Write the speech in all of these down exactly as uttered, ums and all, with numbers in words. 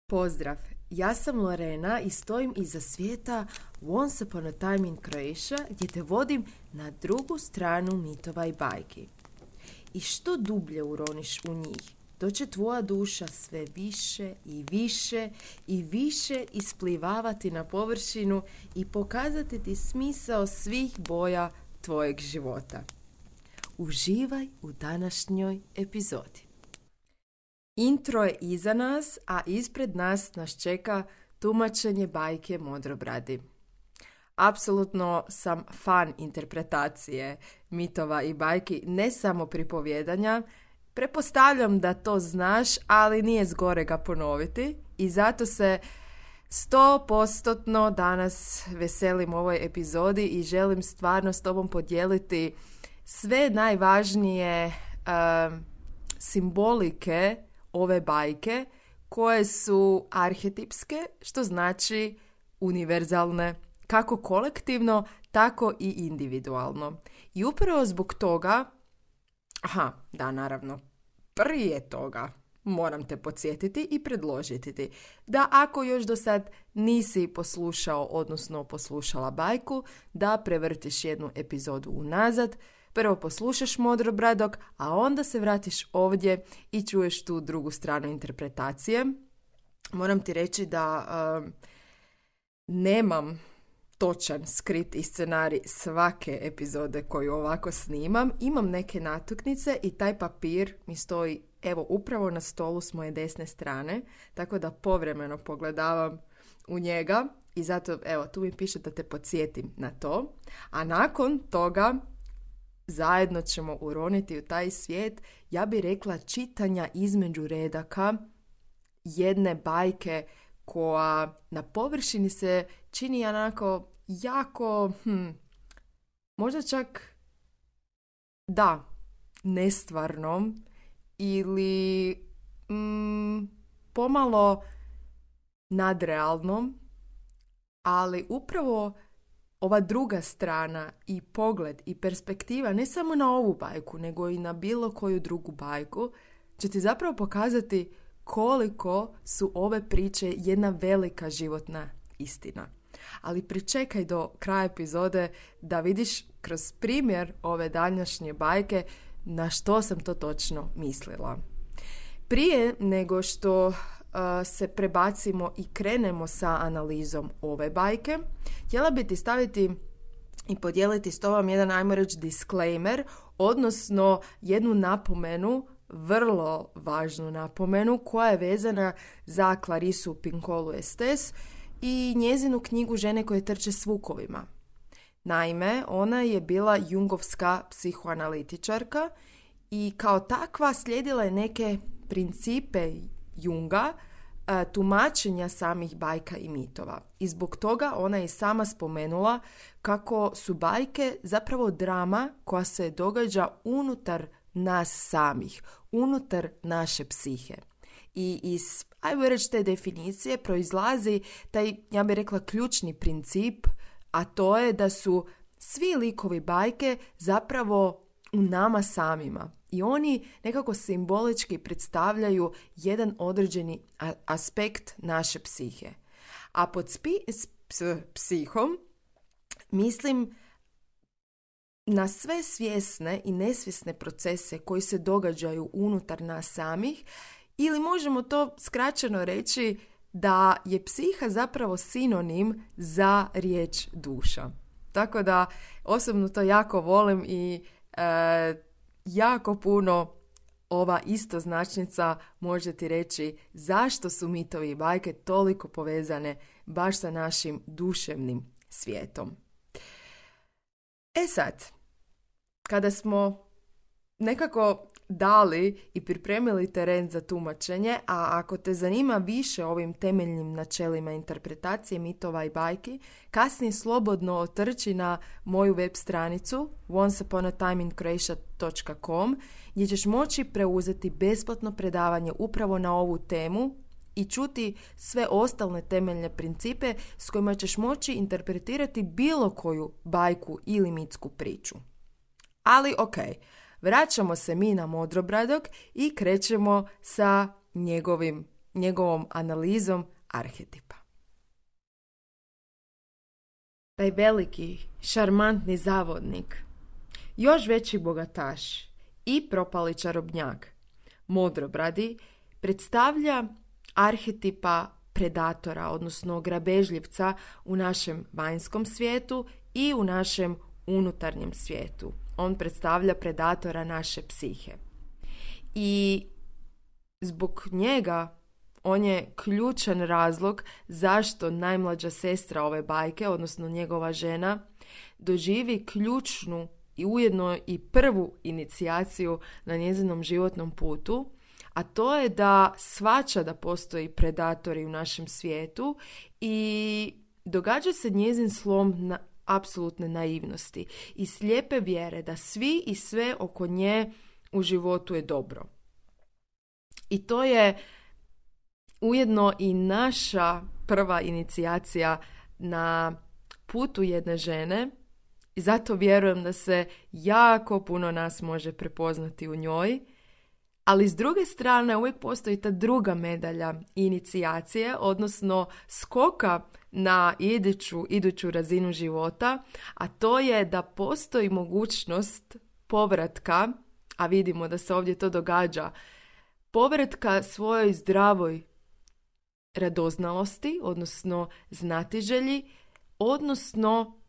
Pozdrav, ja sam Lorena i stojim iza svijeta Once Upon a Time in Croatia gdje te vodim na drugu stranu mitova i bajki. I što dublje uroniš u njih, to će tvoja duša sve više i više i više isplivavati na površinu i pokazati ti smisao svih boja tvojeg života. Uživaj u današnjoj epizodi. Intro je iza nas, a ispred nas nas čeka tumačenje bajke Modrobradi. Apsolutno sam fan interpretacije mitova i bajki, ne samo pripovjedanja. Pretpostavljam da to znaš, ali nije zgorega ponoviti i zato se sto postotno danas veselim ovoj epizodi i želim stvarno s tobom podijeliti sve najvažnije uh, simbolike ove bajke koje su arhetipske, što znači univerzalne, kako kolektivno, tako i individualno. I upravo zbog toga, aha, da naravno, prije toga moram te podsjetiti i predložiti ti da ako još do sad nisi poslušao, odnosno poslušala bajku, da prevrtiš jednu epizodu unazad, prvo poslušaš Modrobradog, a onda se vratiš ovdje i čuješ tu drugu stranu interpretacije. Moram ti reći da uh, nemam točan skripti i scenarij svake epizode koju ovako snimam. Imam neke natuknice i taj papir mi stoji evo upravo na stolu s moje desne strane, tako da povremeno pogledavam u njega i zato evo tu mi piše da te podsjetim na to. A nakon toga zajedno ćemo uroniti u taj svijet, ja bih rekla, čitanja između redaka jedne bajke koja na površini se čini onako jako, hm, možda čak, da, nestvarnom ili mm, pomalo nadrealnom, ali upravo ova druga strana i pogled i perspektiva ne samo na ovu bajku, nego i na bilo koju drugu bajku, će ti zapravo pokazati koliko su ove priče jedna velika životna istina. Ali pričekaj do kraja epizode da vidiš kroz primjer ove današnje bajke na što sam to točno mislila. Prije nego što uh, se prebacimo i krenemo sa analizom ove bajke, htjela bi ti staviti i podijeliti s tobom jedan, ajmo reći, disclaimer, odnosno jednu napomenu, vrlo važnu napomenu, koja je vezana za Clarisu Pinkola Estés i njezinu knjigu Žene koje trče s vukovima. Naime, ona je bila jungovska psihoanalitičarka i kao takva slijedila je neke principe Junga, tumačenja samih bajka i mitova. I zbog toga ona je sama spomenula kako su bajke zapravo drama koja se događa unutar nas samih, unutar naše psihe. I iz, ajmo reći, te definicije proizlazi taj, ja bih rekla, ključni princip, a to je da su svi likovi bajke zapravo u nama samima. I oni nekako simbolički predstavljaju jedan određeni a- aspekt naše psihe. A pod spi- s- psihom mislim na sve svjesne i nesvjesne procese koji se događaju unutar nas samih, ili možemo to skraćeno reći da je psiha zapravo sinonim za riječ duša. Tako da osobno to jako volim i e, jako puno ova istoznačnica može ti reći zašto su mitovi i bajke toliko povezane baš sa našim duševnim svijetom. E sad, kada smo nekako dali i pripremili teren za tumačenje, a ako te zanima više o ovim temeljnim načelima interpretacije mitova i bajki, kasnije slobodno otrči na moju web stranicu once upon a time in croatia dot com gdje ćeš moći preuzeti besplatno predavanje upravo na ovu temu i čuti sve ostale temeljne principe s kojima ćeš moći interpretirati bilo koju bajku ili mitsku priču. Ali ok, vraćamo se mi na Modrobradog i krećemo sa njegovim njegovom analizom arhetipa. Taj veliki, šarmantni zavodnik, još veći bogataš i propali čarobnjak, Modrobradi, predstavlja arhetipa predatora, odnosno grabežljivca u našem vanjskom svijetu i u našem unutarnjem svijetu. On predstavlja predatora naše psihe. I zbog njega on je ključan razlog zašto najmlađa sestra ove bajke, odnosno njegova žena, doživi ključnu i ujedno i prvu inicijaciju na njezinom životnom putu, a to je da shvaća da postoji predatori u našem svijetu i događa se njezin slom na apsolutne naivnosti i slijepe vjere da svi i sve oko nje u životu je dobro. I to je ujedno i naša prva inicijacija na putu jedne žene i zato vjerujem da se jako puno nas može prepoznati u njoj. Ali s druge strane uvijek postoji ta druga medalja inicijacije, odnosno skoka na iduću, iduću razinu života, a to je da postoji mogućnost povratka, a vidimo da se ovdje to događa, povratka svojoj zdravoj radoznalosti, odnosno znatiželji, odnosno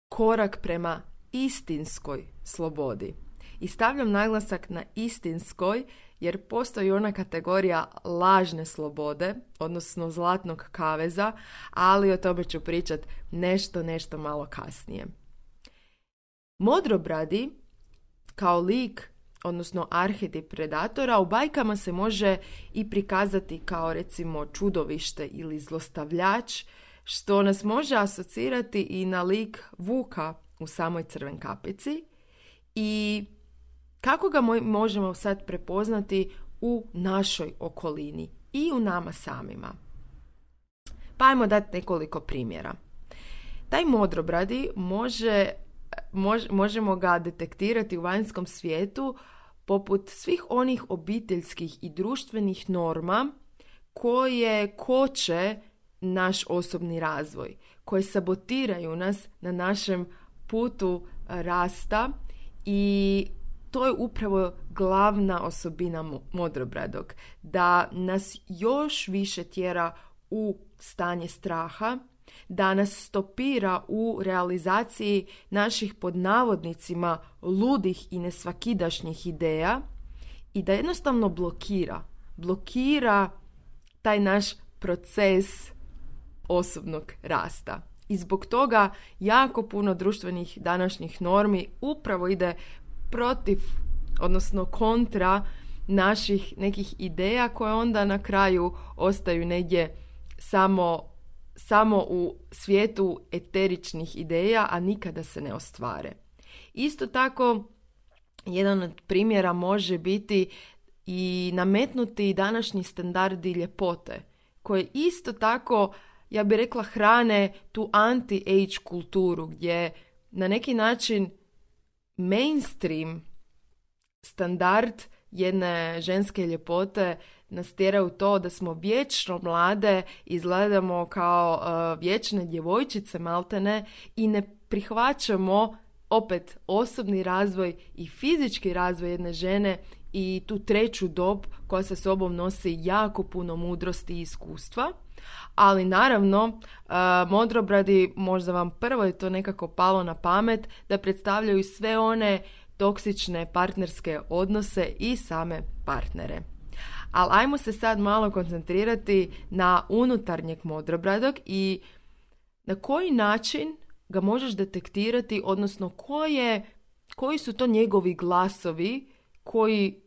korak prema istinskoj slobodi. I stavljam naglasak na istinskoj, jer postoji ona kategorija lažne slobode, odnosno zlatnog kaveza, ali o tome ću pričati nešto, nešto malo kasnije. Modrobradi, kao lik, odnosno arhetip predatora, u bajkama se može i prikazati kao recimo čudovište ili zlostavljač, što nas može asocirati i na lik Vuka u samoj Crven kapici. I kako ga možemo sad prepoznati u našoj okolini i u nama samima? Pa ajmo dati nekoliko primjera. Taj Modrobradi može, mož, možemo ga detektirati u vanjskom svijetu poput svih onih obiteljskih i društvenih norma koje koče naš osobni razvoj, koje sabotiraju nas na našem putu rasta i to je upravo glavna osobina Modrobradog, da nas još više tjera u stanje straha, da nas stopira u realizaciji naših pod navodnicima ludih i nesvakidašnjih ideja i da jednostavno blokira, blokira taj naš proces osobnog rasta. I zbog toga jako puno društvenih današnjih normi upravo ide protiv, odnosno kontra naših nekih ideja koje onda na kraju ostaju negdje samo, samo u svijetu eteričnih ideja, a nikada se ne ostvare. Isto tako, jedan od primjera može biti i nametnuti današnji standardi ljepote, koje isto tako, ja bih rekla, hrane tu anti-age kulturu, gdje na neki način mainstream standard jedne ženske ljepote nas tjera u to da smo vječno mlade, izgledamo kao uh, vječne djevojčice maltene i ne prihvaćamo opet osobni razvoj i fizički razvoj jedne žene i tu treću dob koja sa sobom nosi jako puno mudrosti i iskustva. Ali naravno, uh, Modrobradi, možda vam prvo je to nekako palo na pamet, da predstavljaju sve one toksične partnerske odnose i same partnere. Ali ajmo se sad malo koncentrirati na unutarnjeg Modrobradog i na koji način ga možeš detektirati, odnosno koje, koji su to njegovi glasovi koji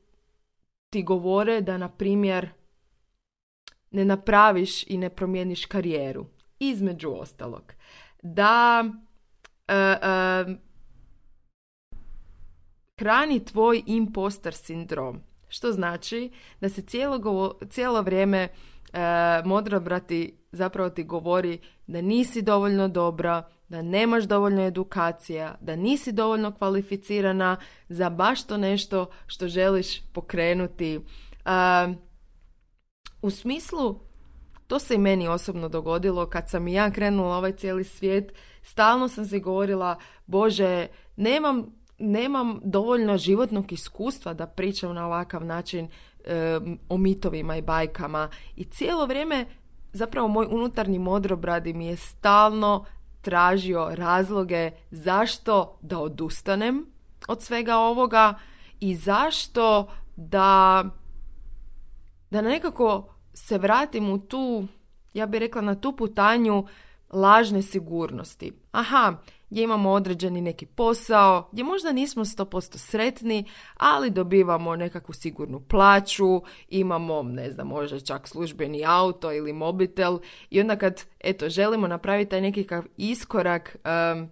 ti govore da, na primjer, ne napraviš i ne promijeniš karijeru. Između ostalog, da uh, uh, hrani tvoj impostor sindrom. Što znači da se cijelo, cijelo vrijeme uh, Modrobradi zapravo ti govori da nisi dovoljno dobra, da nemaš dovoljno edukacija, da nisi dovoljno kvalificirana za baš to nešto što želiš pokrenuti. Uh, U smislu, to se i meni osobno dogodilo kad sam i ja krenula ovaj cijeli svijet. Stalno sam se govorila, Bože, nemam, nemam dovoljno životnog iskustva da pričam na ovakav način e, o mitovima i bajkama. I cijelo vrijeme zapravo moj unutarnji modrobradi mi je stalno tražio razloge zašto da odustanem od svega ovoga i zašto da, da nekako se vratim u tu, ja bih rekla, na tu putanju lažne sigurnosti. Aha, gdje imamo određeni neki posao, gdje možda nismo sto posto sretni, ali dobivamo nekakvu sigurnu plaću, imamo, ne znam, možda čak službeni auto ili mobitel i onda kad, eto, želimo napraviti taj nekakav iskorak, um,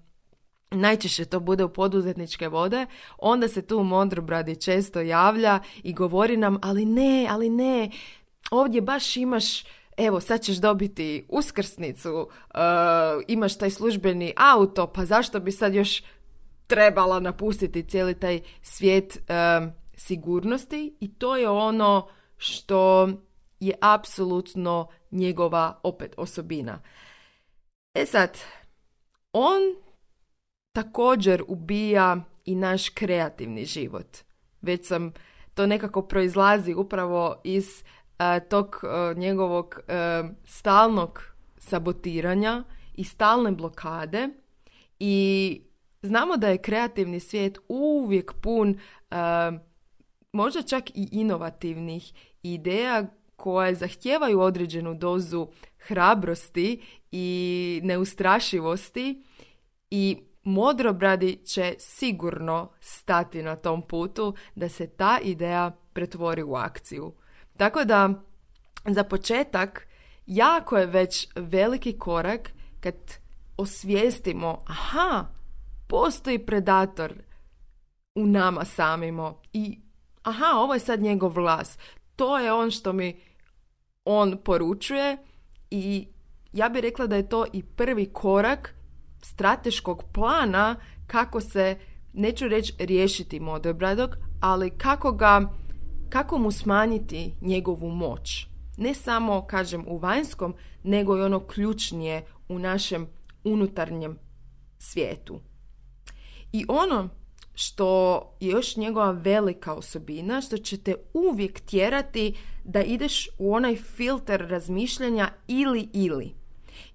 najčešće to bude u poduzetničke vode, onda se tu modrobradi često javlja i govori nam, ali ne, ali ne, ovdje baš imaš, evo, sad ćeš dobiti uskrsnicu, uh, imaš taj službeni auto, pa zašto bi sad još trebala napustiti cijeli taj svijet uh, sigurnosti? I to je ono što je apsolutno njegova opet osobina. E sad, on također ubija i naš kreativni život. Već sam, to nekako proizlazi upravo iz uh, tog uh, njegovog uh, stalnog sabotiranja i stalne blokade i znamo da je kreativni svijet uvijek pun uh, možda čak i inovativnih ideja koje zahtijevaju određenu dozu hrabrosti i neustrašivosti i modrobradi će sigurno stati na tom putu da se ta ideja pretvori u akciju. Tako da, za početak, jako je već veliki korak kad osvijestimo, aha, postoji predator u nama samimo i aha, ovo je sad njegov glas. To je on što mi on poručuje i ja bih rekla da je to i prvi korak strateškog plana kako se, neću reći riješiti modrobradog, ali kako ga, kako mu smanjiti njegovu moć. Ne samo, kažem, u vanjskom, nego i ono ključnije u našem unutarnjem svijetu. I ono što je još njegova velika osobina, što će te uvijek tjerati da ideš u onaj filter razmišljanja ili ili.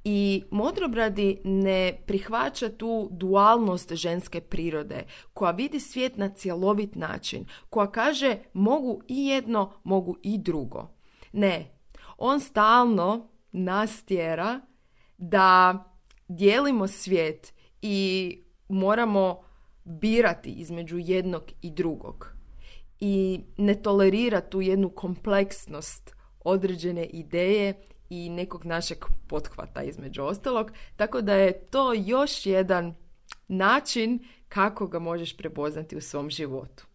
I modrobradi ne prihvaća tu dualnost ženske prirode, koja vidi svijet na cjelovit način, koja kaže mogu i jedno, mogu i drugo. Ne, on stalno nas tjera da dijelimo svijet i moramo birati između jednog i drugog. I ne tolerira tu jednu kompleksnost određene ideje i nekog našeg pothvata između ostalog, tako da je to još jedan način kako ga možeš prepoznati u svom životu.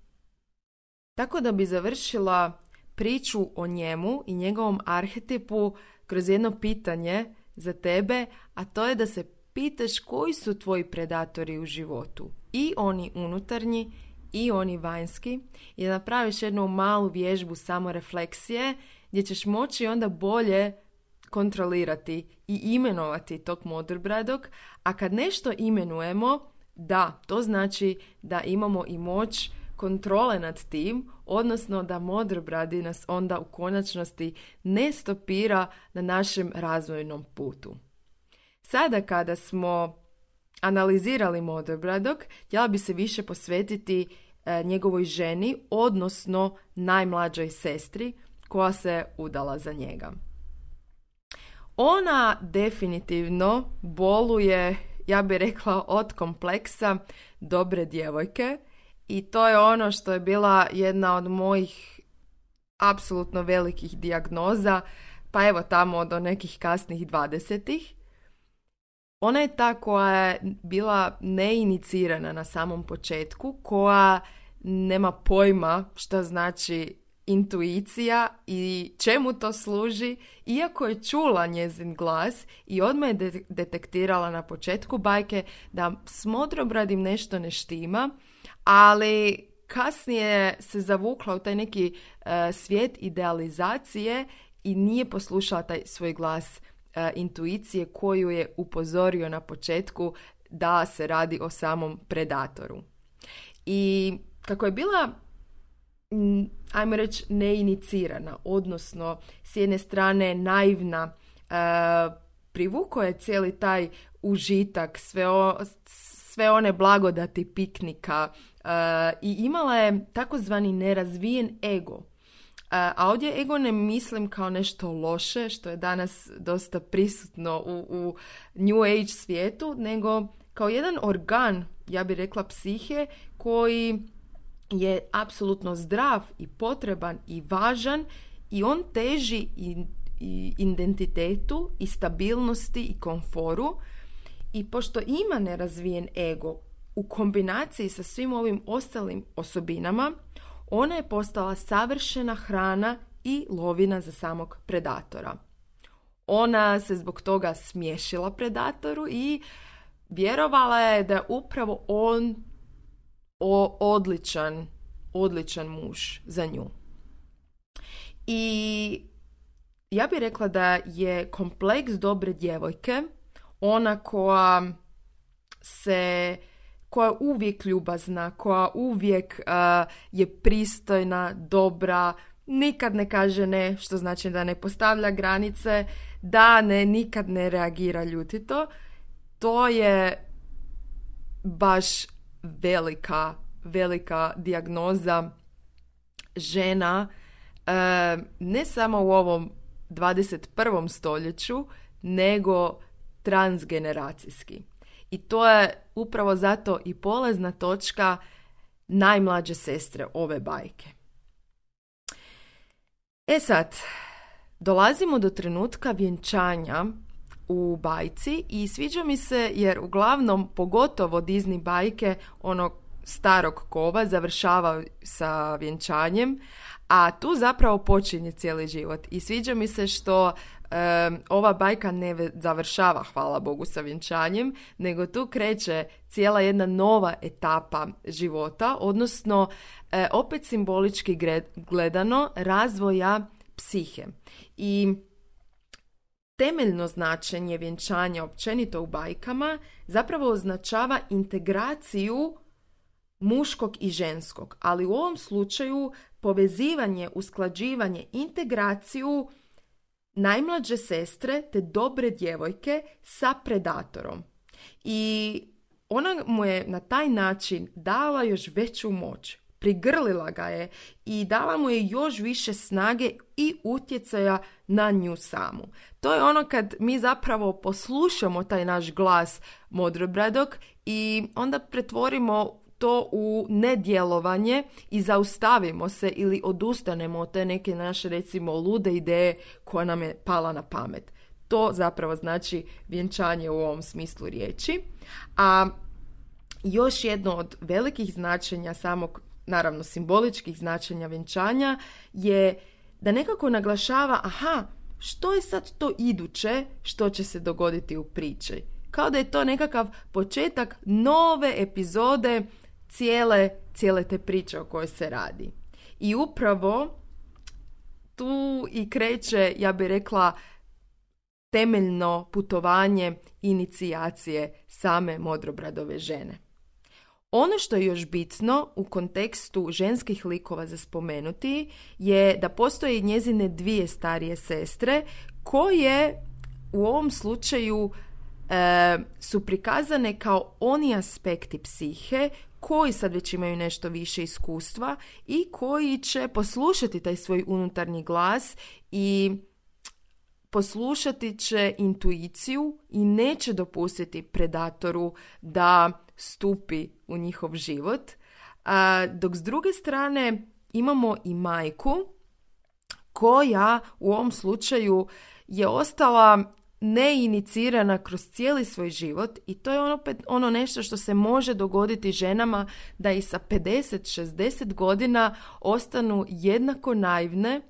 Tako da bi završila priču o njemu i njegovom arhetipu kroz jedno pitanje za tebe, a to je da se pitaš koji su tvoji predatori u životu, i oni unutarnji i oni vanjski, i da napraviš jednu malu vježbu samorefleksije gdje ćeš moći onda bolje kontrolirati i imenovati tog modrbradog, a kad nešto imenujemo, da, to znači da imamo i moć kontrole nad tim, odnosno da modrobradi nas onda u konačnosti ne stopira na našem razvojnom putu. Sada kada smo analizirali modrbradog, htjela bi se više posvetiti e, njegovoj ženi, odnosno najmlađoj sestri koja se udala za njega. Ona definitivno boluje, ja bih rekla, od kompleksa dobre djevojke i to je ono što je bila jedna od mojih apsolutno velikih dijagnoza, pa evo tamo do nekih kasnih dvadesetih. Ona je ta koja je bila neinicirana na samom početku, koja nema pojma šta znači intuicija i čemu to služi, iako je čula njezin glas i odmah je de- detektirala na početku bajke da s modrobradim nešto ne štima, ali kasnije se zavukla u taj neki uh, svijet idealizacije i nije poslušala taj svoj glas uh, intuicije koju je upozorio na početku da se radi o samom predatoru. I kako je bila, ajmo reći, neinicirana, odnosno s jedne strane naivna, uh, privukao je cijeli taj užitak, sve, o, sve one blagodati piknika uh, i imala je takozvani nerazvijen ego. Uh, a ovdje ego ne mislim kao nešto loše, što je danas dosta prisutno u, u New Age svijetu, nego kao jedan organ, ja bih rekla psihe, koji je apsolutno zdrav i potreban i važan i on teži i, i identitetu i stabilnosti i komforu. I pošto ima nerazvijen ego u kombinaciji sa svim ovim ostalim osobinama, ona je postala savršena hrana i lovina za samog predatora. Ona se zbog toga smješila predatoru i vjerovala je da je upravo on o, odličan, odličan muž za nju. I ja bih rekla da je kompleks dobre djevojke ona koja se, koja je uvijek ljubazna, koja uvijek uh, je pristojna, dobra, nikad ne kaže ne, što znači da ne postavlja granice, da ne, nikad ne reagira ljutito. To je baš velika, velika dijagnoza žena, uh, ne samo u ovom dvadeset prvom stoljeću, nego transgeneracijski. I to je upravo zato i polazna točka najmlađe sestre ove bajke. E sad, dolazimo do trenutka vjenčanja u bajci i sviđa mi se jer uglavnom, pogotovo Disney bajke onog starog kova završava sa vjenčanjem, a tu zapravo počinje cijeli život. I sviđa mi se što Um, ova bajka ne završava, hvala Bogu, sa vjenčanjem, nego tu kreće cijela jedna nova etapa života, odnosno e, opet simbolički gledano razvoja psihe. I temeljno značenje vjenčanja općenito u bajkama zapravo označava integraciju muškog i ženskog, ali u ovom slučaju povezivanje, usklađivanje, integraciju najmlađe sestre te dobre djevojke sa predatorom. I ona mu je na taj način dala još veću moć, prigrlila ga je i dala mu je još više snage i utjecaja na nju samu. To je ono kad mi zapravo poslušamo taj naš glas modrobradog i onda pretvorimo to u nedjelovanje i zaustavimo se ili odustanemo od te neke naše, recimo, lude ideje koja nam je pala na pamet. To zapravo znači vjenčanje u ovom smislu riječi. A još jedno od velikih značenja samog, naravno simboličkih značenja vjenčanja, je da nekako naglašava, aha, što je sad to iduće što će se dogoditi u priči. Kao da je to nekakav početak nove epizode cijele, cijele te priče o kojoj se radi. I upravo tu i kreće, ja bih rekla, temeljno putovanje inicijacije same modrobradove žene. Ono što je još bitno u kontekstu ženskih likova za spomenuti je da postoje njezine dvije starije sestre koje u ovom slučaju e, su prikazane kao oni aspekti psihe koji sad već imaju nešto više iskustva i koji će poslušati taj svoj unutarnji glas i poslušati će intuiciju i neće dopustiti predatoru da stupi u njihov život. A, dok s druge strane imamo i majku koja u ovom slučaju je ostala neinicirana kroz cijeli svoj život i to je ono, ono nešto što se može dogoditi ženama da i sa pedeset šezdeset godina ostanu jednako naivne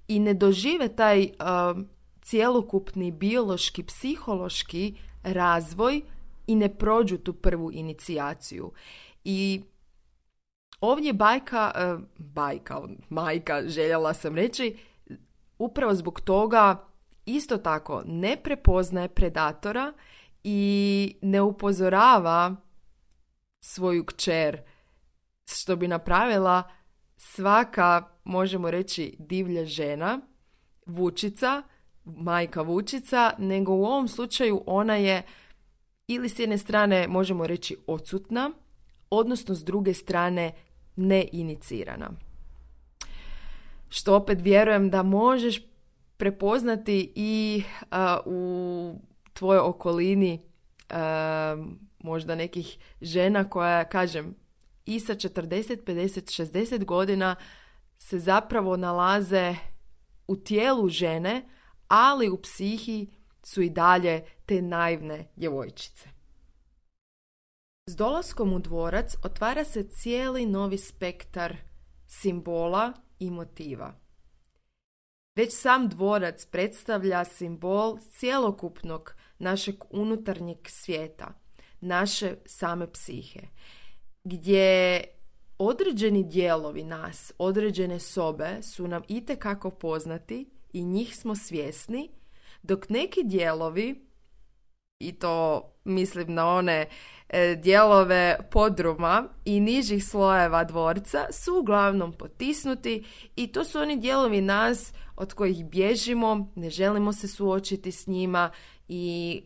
i ne dožive taj uh, cjelokupni biološki, psihološki razvoj i ne prođu tu prvu inicijaciju. I ovdje bajka, uh, bajka, majka, željela sam reći, upravo zbog toga isto tako ne prepoznaje predatora i ne upozorava svoju kćer, što bi napravila svaka, možemo reći, divlja žena, vučica, majka vučica, nego u ovom slučaju ona je ili s jedne strane možemo reći odsutna, odnosno s druge strane neinicirana. Što opet vjerujem da možeš prepoznati i uh, u tvojoj okolini uh, možda nekih žena koja, kažem, i sa četrdeset, pedeset, šezdeset godina se zapravo nalaze u tijelu žene, ali u psihi su i dalje te naivne djevojčice. S dolaskom u dvorac otvara se cijeli novi spektar simbola i motiva. Već sam dvorac predstavlja simbol cjelokupnog našeg unutarnjeg svijeta, naše same psihe, gdje određeni dijelovi nas, određene sobe su nam itekako poznati i njih smo svjesni, dok neki dijelovi, i to mislim na one e, dijelove podruma i nižih slojeva dvorca, su uglavnom potisnuti i to su oni dijelovi nas od kojih bježimo, ne želimo se suočiti s njima i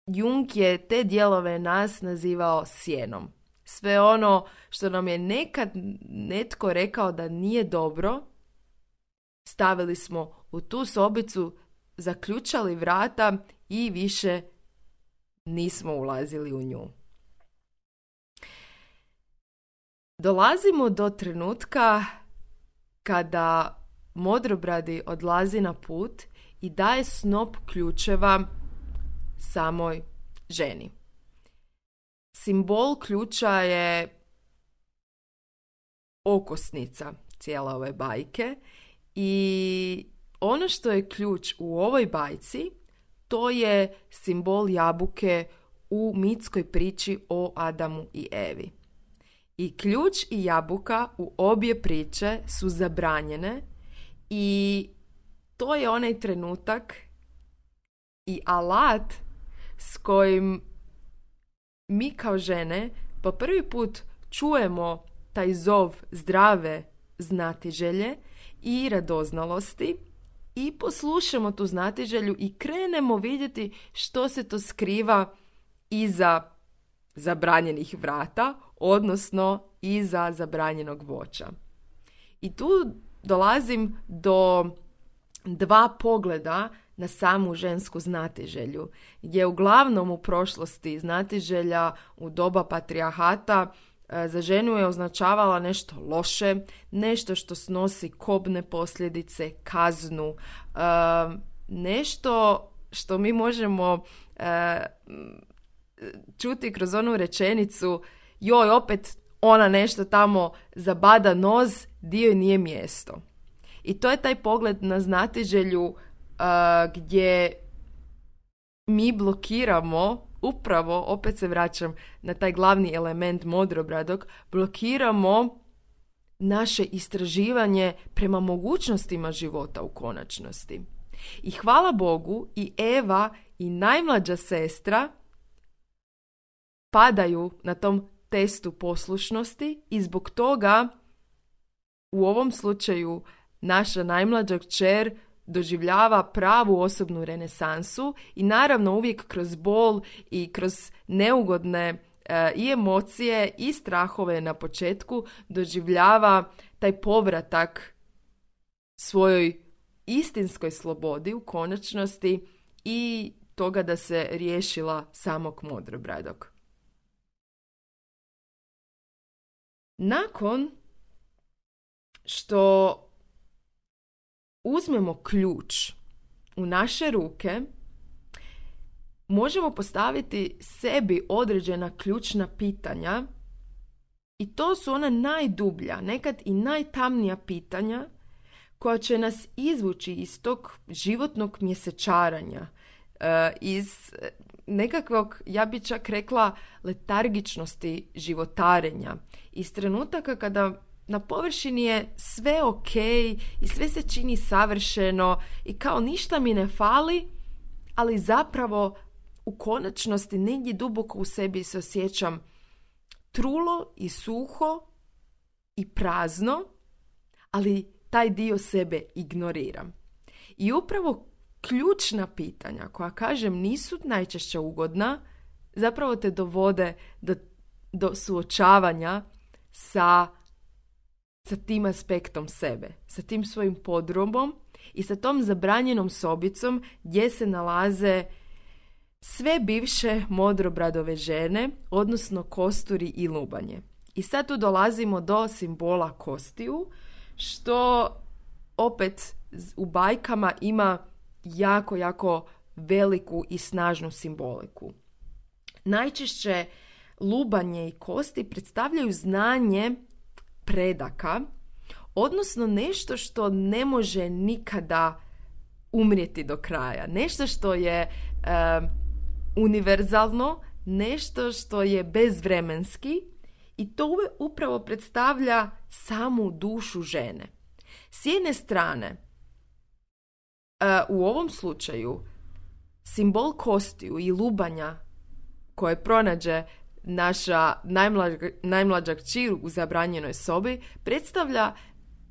Jung je te dijelove nas nazivao sjenom. Sve ono što nam je nekad netko rekao da nije dobro, stavili smo u tu sobicu, zaključali vrata i više nismo ulazili u nju. Dolazimo do trenutka kada Modrobradi odlazi na put i daje snop ključeva samoj ženi. Simbol ključa je okosnica cijele ove bajke i ono što je ključ u ovoj bajci, to je simbol jabuke u mitskoj priči o Adamu i Evi. I ključ i jabuka u obje priče su zabranjene i to je onaj trenutak i alat s kojim mi kao žene po prvi put čujemo taj zov zdrave znatiželje i radoznalosti i poslušamo tu znatiželju i krenemo vidjeti što se to skriva iza zabranjenih vrata, odnosno iza zabranjenog voća. I tu dolazim do dva pogleda na samu žensku znatiželju, gdje uglavnom u prošlosti znatiželja u doba patrijarhata za ženu je označavala nešto loše, nešto što snosi kobne posljedice, kaznu, nešto što mi možemo čuti kroz onu rečenicu joj, opet ona nešto tamo zabada noz, dio joj nije mjesto. I to je taj pogled na znatiželju Uh, gdje mi blokiramo, upravo, opet se vraćam na taj glavni element Modrobradog, blokiramo naše istraživanje prema mogućnostima života u konačnosti. I hvala Bogu i Eva i najmlađa sestra padaju na tom testu poslušnosti i zbog toga u ovom slučaju naša najmlađa kćer doživljava pravu osobnu renesansu i naravno uvijek kroz bol i kroz neugodne e, i emocije i strahove na početku doživljava taj povratak svojoj istinskoj slobodi u konačnosti i toga da se riješila samog Modrobradog. Nakon što uzmemo ključ u naše ruke, možemo postaviti sebi određena ključna pitanja i to su ona najdublja, nekad i najtamnija pitanja koja će nas izvući iz tog životnog mjesečaranja, iz nekakvog, ja bi čak rekla, letargičnosti životarenja, iz trenutaka kada na površini je sve ok i sve se čini savršeno i kao ništa mi ne fali, ali zapravo u konačnosti negdje duboko u sebi se osjećam trulo i suho i prazno, ali taj dio sebe ignoriram. I upravo ključna pitanja koja, kažem, nisu najčešće ugodna, zapravo te dovode do, do suočavanja sa, sa tim aspektom sebe, sa tim svojim podrumom i sa tom zabranjenom sobicom gdje se nalaze sve bivše modrobradove žene, odnosno kosturi i lubanje. I sad tu dolazimo do simbola kostiju, što opet u bajkama ima jako, jako veliku i snažnu simboliku. Najčešće lubanje i kosti predstavljaju znanje predaka, odnosno nešto što ne može nikada umrijeti do kraja. Nešto što je e, univerzalno, nešto što je bezvremenski i to upravo predstavlja samu dušu žene. S jedne strane, e, u ovom slučaju, simbol kostiju i lubanja koje pronađe naša najmlađa, najmlađa kćer u zabranjenoj sobi predstavlja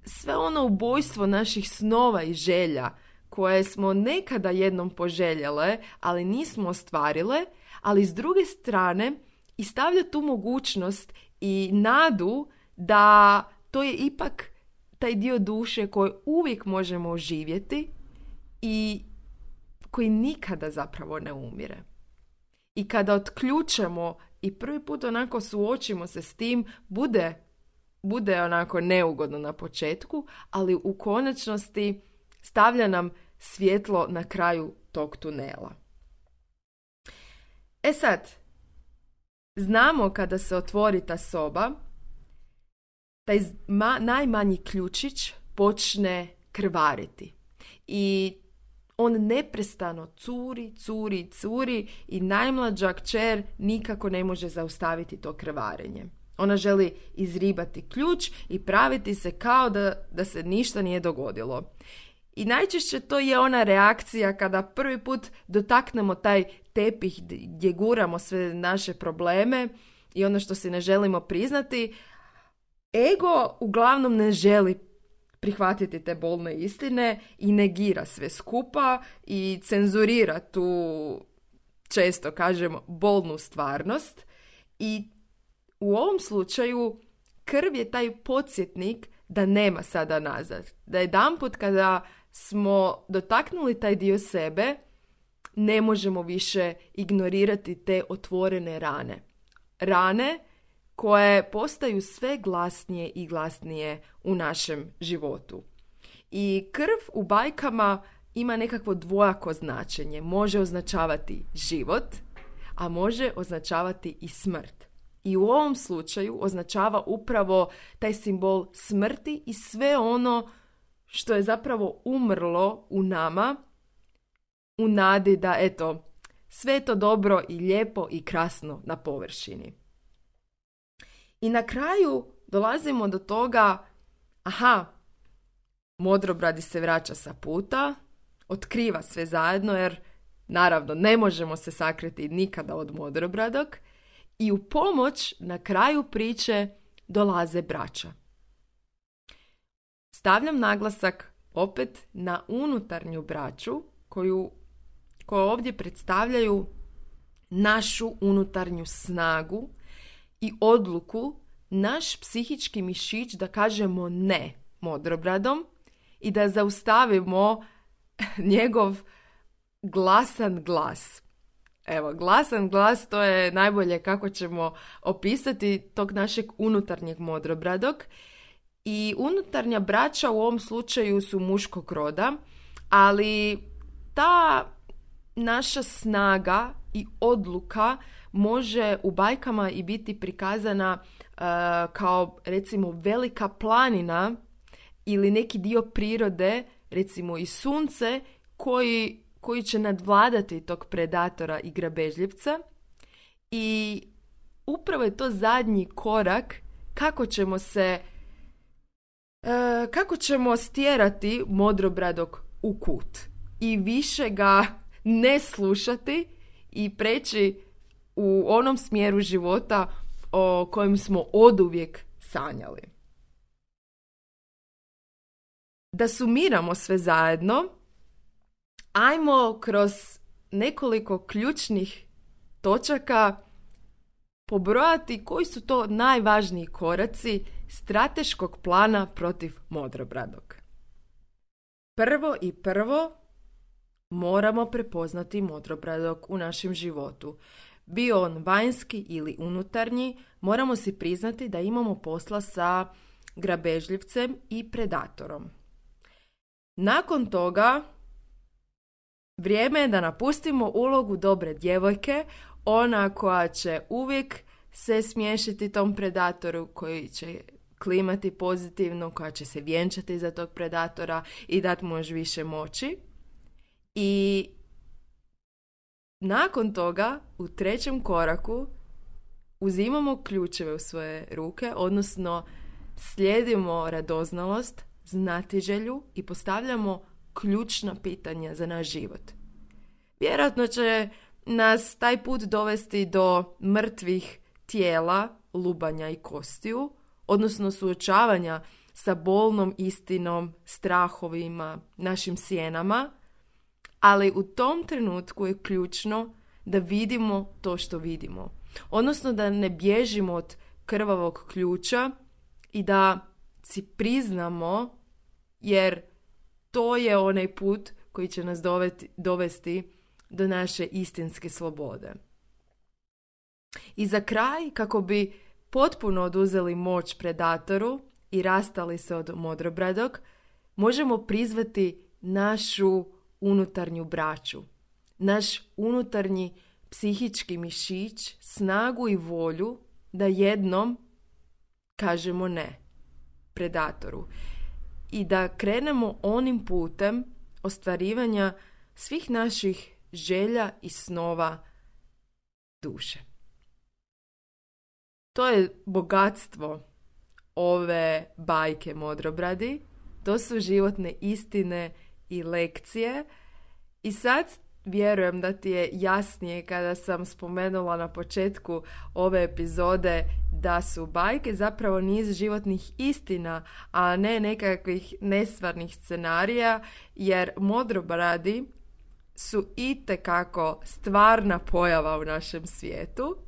sve ono ubojstvo naših snova i želja koje smo nekada jednom poželjele, ali nismo ostvarile, ali s druge strane i stavlja tu mogućnost i nadu da to je ipak taj dio duše koji uvijek možemo oživjeti i koji nikada zapravo ne umire. I kada otključemo i prvi put onako suočimo se s tim, bude, bude onako neugodno na početku, ali u konačnosti stavlja nam svjetlo na kraju tog tunela. E sad, znamo kada se otvori ta soba, taj ma, najmanji ključić počne krvariti. I on neprestano curi, curi, curi i najmlađa kćer nikako ne može zaustaviti to krvarenje. Ona želi izribati ključ i praviti se kao da, da se ništa nije dogodilo. I najčešće to je ona reakcija kada prvi put dotaknemo taj tepih gdje guramo sve naše probleme i ono što si ne želimo priznati. Ego uglavnom ne želi prihvatiti te bolne istine i negira sve skupa i cenzurira tu, često kažem, bolnu stvarnost. I u ovom slučaju krv je taj podsjetnik da nema sada nazad. Da jedanput kada smo dotaknuli taj dio sebe, ne možemo više ignorirati te otvorene rane. Rane koje postaju sve glasnije i glasnije u našem životu. I krv u bajkama ima nekakvo dvojako značenje. Može označavati život, a može označavati i smrt. I u ovom slučaju označava upravo taj simbol smrti i sve ono što je zapravo umrlo u nama u nadi da, eto, sve je to dobro i lijepo i krasno na površini. I na kraju dolazimo do toga, aha, modrobradi se vraća sa puta, otkriva sve zajedno jer naravno ne možemo se sakriti nikada od modrobradog i u pomoć na kraju priče dolaze braća. Stavljam naglasak opet na unutarnju braću koju, koju ovdje predstavljaju našu unutarnju snagu i odluku, naš psihički mišić da kažemo ne modrobradom i da zaustavimo njegov glasan glas. Evo, glasan glas, to je najbolje kako ćemo opisati tog našeg unutarnjeg modrobradog. I unutarnja braća u ovom slučaju su muškog roda, ali ta naša snaga i odluka može u bajkama i biti prikazana uh, kao recimo velika planina ili neki dio prirode, recimo i sunce, koji, koji će nadvladati tog predatora i grabežljivca. I upravo je to zadnji korak kako ćemo se E, kako ćemo stjerati modrobradog u kut i više ga ne slušati i preći u onom smjeru života o kojem smo oduvijek sanjali. Da sumiramo sve zajedno, ajmo kroz nekoliko ključnih točaka pobrojati koji su to najvažniji koraci strateškog plana protiv modrobradog. Prvo i prvo moramo prepoznati modrobradog u našem životu. Bio on vanjski ili unutarnji, moramo si priznati da imamo posla sa grabežljivcem i predatorom. Nakon toga, vrijeme je da napustimo ulogu dobre djevojke, ona koja će uvijek se smiješiti tom predatoru, koji će klimati pozitivno, koja će se vjenčati za tog predatora i dati mu još više moći. I nakon toga, u trećem koraku, uzimamo ključeve u svoje ruke, odnosno slijedimo radoznalost, znatiželju i postavljamo ključna pitanja za naš život. Vjerojatno će nas taj put dovesti do mrtvih tijela, lubanja i kostiju, odnosno suočavanja sa bolnom istinom, strahovima, našim sjenama, ali u tom trenutku je ključno da vidimo to što vidimo. Odnosno da ne bježimo od krvavog ključa i da si priznamo, jer to je onaj put koji će nas dovesti, dovesti do naše istinske slobode. I za kraj, kako bi potpuno oduzeli moć predatoru i rastali se od modrobradog, možemo prizvati našu unutarnju braću, naš unutarnji psihički mišić, snagu i volju da jednom kažemo ne predatoru i da krenemo onim putem ostvarivanja svih naših želja i snova duše. To je bogatstvo ove bajke Modrobradi, to su životne istine i lekcije i sad vjerujem da ti je jasnije kada sam spomenula na početku ove epizode da su bajke zapravo niz životnih istina, a ne nekakvih nestvarnih scenarija, jer modrobradi su itekako stvarna pojava u našem svijetu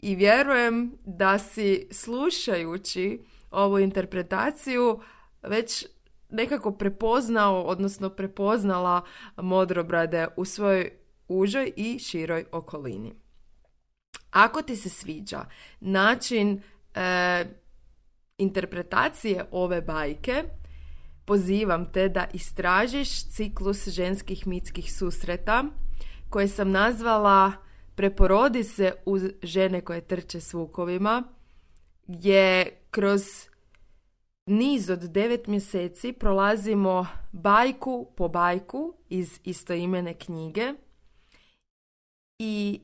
i vjerujem da si slušajući ovu interpretaciju već nekako prepoznao, odnosno prepoznala modrobrade u svojoj užoj i široj okolini. Ako ti se sviđa način e, interpretacije ove bajke, pozivam te da istražiš ciklus ženskih mitskih susreta koje sam nazvala Preporodi se uz žene koje trče s vukovima, gdje kroz niz od devet mjeseci prolazimo bajku po bajku iz istoimene knjige i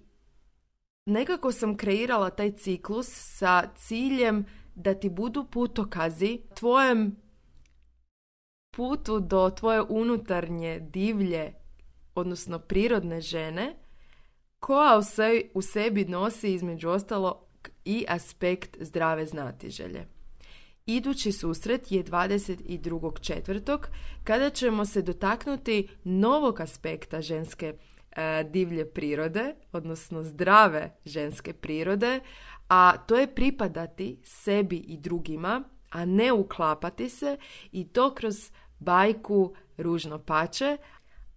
nekako sam kreirala taj ciklus sa ciljem da ti budu putokazi tvojem putu do tvoje unutarnje divlje, odnosno prirodne žene, koja u sebi nosi između ostalo i aspekt zdrave znatiželje. Idući susret je dvadeset drugog četvrtog kada ćemo se dotaknuti novog aspekta ženske e, divlje prirode, odnosno zdrave ženske prirode, a to je pripadati sebi i drugima, a ne uklapati se, i to kroz bajku Ružno pače,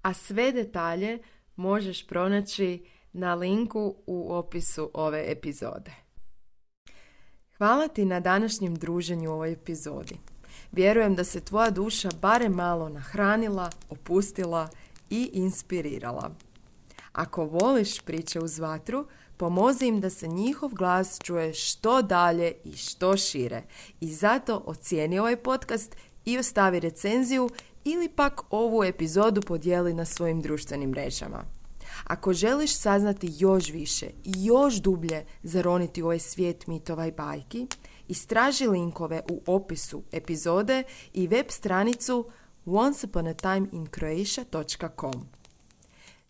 a sve detalje možeš pronaći na linku u opisu ove epizode. Hvala ti na današnjem druženju u ovoj epizodi. Vjerujem da se tvoja duša barem malo nahranila, opustila i inspirirala. Ako voliš priče uz vatru, pomozi im da se njihov glas čuje što dalje i što šire. I zato ocijeni ovaj podcast i ostavi recenziju ili pak ovu epizodu podijeli na svojim društvenim mrežama. Ako želiš saznati još više i još dublje zaroniti u ovaj svijet mitova i bajki, Istraži linkove u opisu epizode i web stranicu once upon a time in croatia dot com.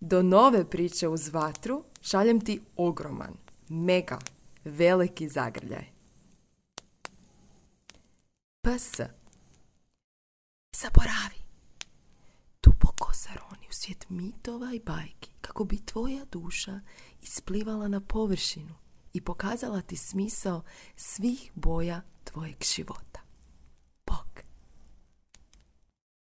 Do nove priče uz vatru šaljem ti ogroman, mega, veliki zagrljaj. P S. Zaboravi. Duboko zaroni u svijet mitova i bajki kako bi tvoja duša isplivala na površinu i pokazala ti smisao svih boja tvojeg života.